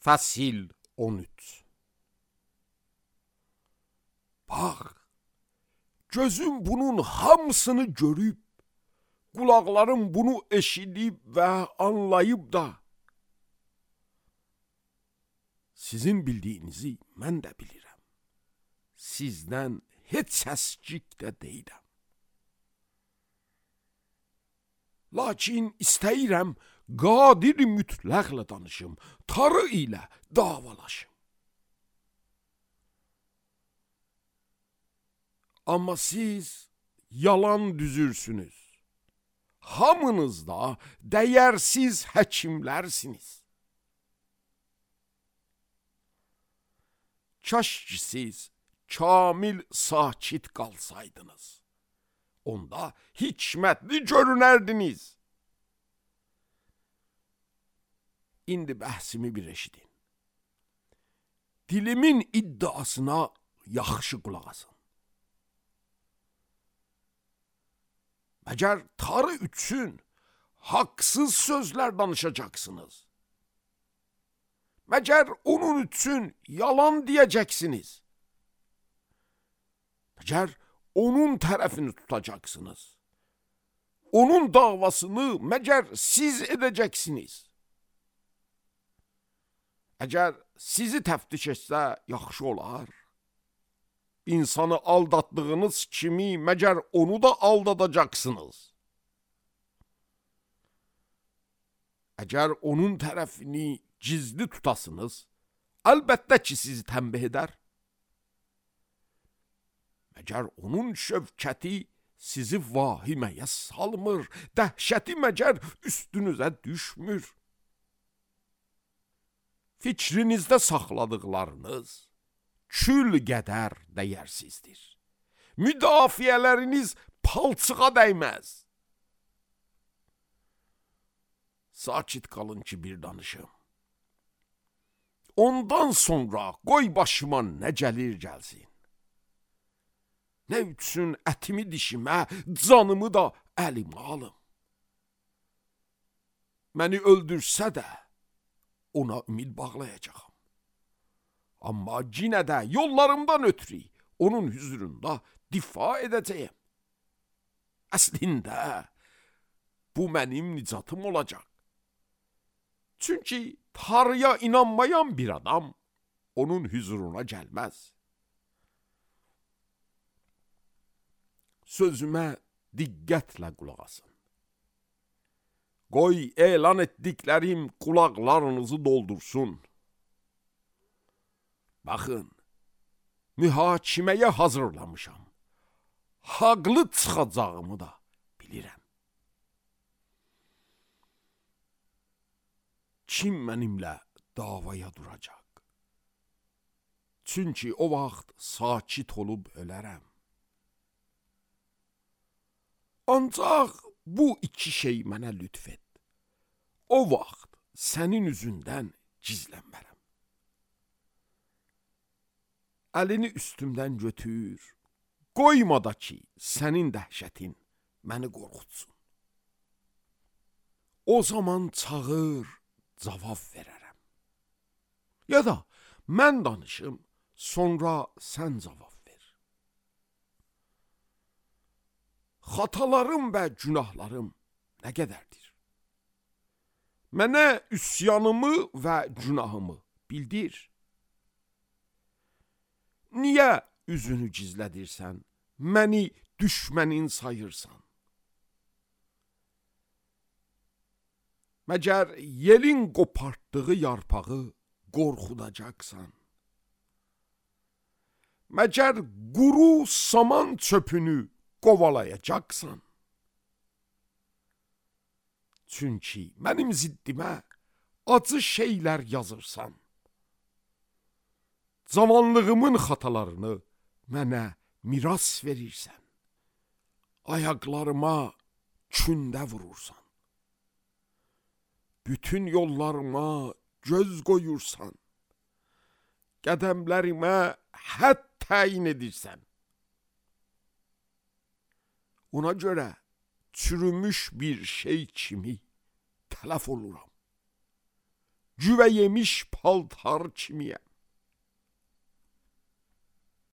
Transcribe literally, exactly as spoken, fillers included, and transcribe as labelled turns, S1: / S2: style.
S1: Fəsil on üç. Bax, gözüm bunun hamısını görüb, qulaqlarım bunu eşidib və anlayıb da, sizin bildiyinizi mən də bilirəm. Sizdən heç səskik də deyirəm. Lakin istəyirəm, qadir mütləqlə danışım, tarı ilə davalaşım. Amma siz yalan düzürsünüz. Hamınız da dəyərsiz həkimlərsiniz. Kaş ki siz kamil sakit qalsaydınız. Onda hikmətli görünərdiniz. İndi bəhsimi bir eşidin. Dilimin iddiasına yaxşı qulaq asın. Məgər tarı üçün haqsız sözlər danışacaksınız. Məgər onun üçün yalan deyəcəksiniz. Məgər onun tərəfini tutacaksınız. Onun davasını məgər siz edəcəksiniz. Əgər sizi təftiş etsə yaxşı olar. İnsanı aldatdığınız kimi məgər onu da aldadacaksınız. Əgər onun tərəfini gizli tutasınız, əlbəttə ki sizi tənbih edər. Məgər onun şövkəti sizi vahiməyə salmır, dəhşəti məgər üstünüzə düşmür. Fikrinizdə saxladıqlarınız kül qədər dəyərsizdir. Müdafiələriniz palçığa dəyməz. Sakit qalın ki bir danışım. Ondan sonra qoy başıma nə gəlir gəlsin. Nə üçün ətimi dişimə, canımı da əlimə alım. Məni öldürsə də ona ümid bağlayacağam. Amma yenə də yollarımdan ötürü onun hüzurunda difa edəcəyəm. Əslində bu mənim nicatım olacaq. Çünki Tanrıya inanmayan bir adam onun hüzuruna gəlməz. Sözümə diqqətlə qulaq asın. Qoy elan etdiklərim qulaqlarınızı doldursun. Baxın, mühakiməyə hazırlamışam. Haqlı çıxacağımı da bilirəm. Kim mənimlə davaya duracaq? Çünki o vaxt sakit olub ölərəm. Ancaq bu iki şey mənə lütf et. O vaxt sənin üzündən gizlənmərəm. Əlini üstümdən götür, qoyma da ki, sənin dəhşətin məni qorxutsun. O zaman çağır, cavab verərəm. Ya da mən danışım, sonra sən cavab ver. Xatalarım və günahlarım nə qədərdir? Mənə üsyanımı və günahımı bildir. Niyə üzünü gizlədirsən, məni düşmənin sayırsan? Məgər yelin qopartdığı yarpağı qorxudacaqsan? Məgər quru saman çöpünü qovalayacaqsan? Çünki mənim ziddimə acı şeylər yazırsan. Zamanlığımın xatalarını mənə miras verirsən. Ayaqlarıma kündə vurursan. Bütün yollarıma göz qoyursan. Qədəmlərimə hədd təyin edirsən. Ona görə çürümüş bir şey kimi tələf oluram. güvə yemiş paltar kimiyəm.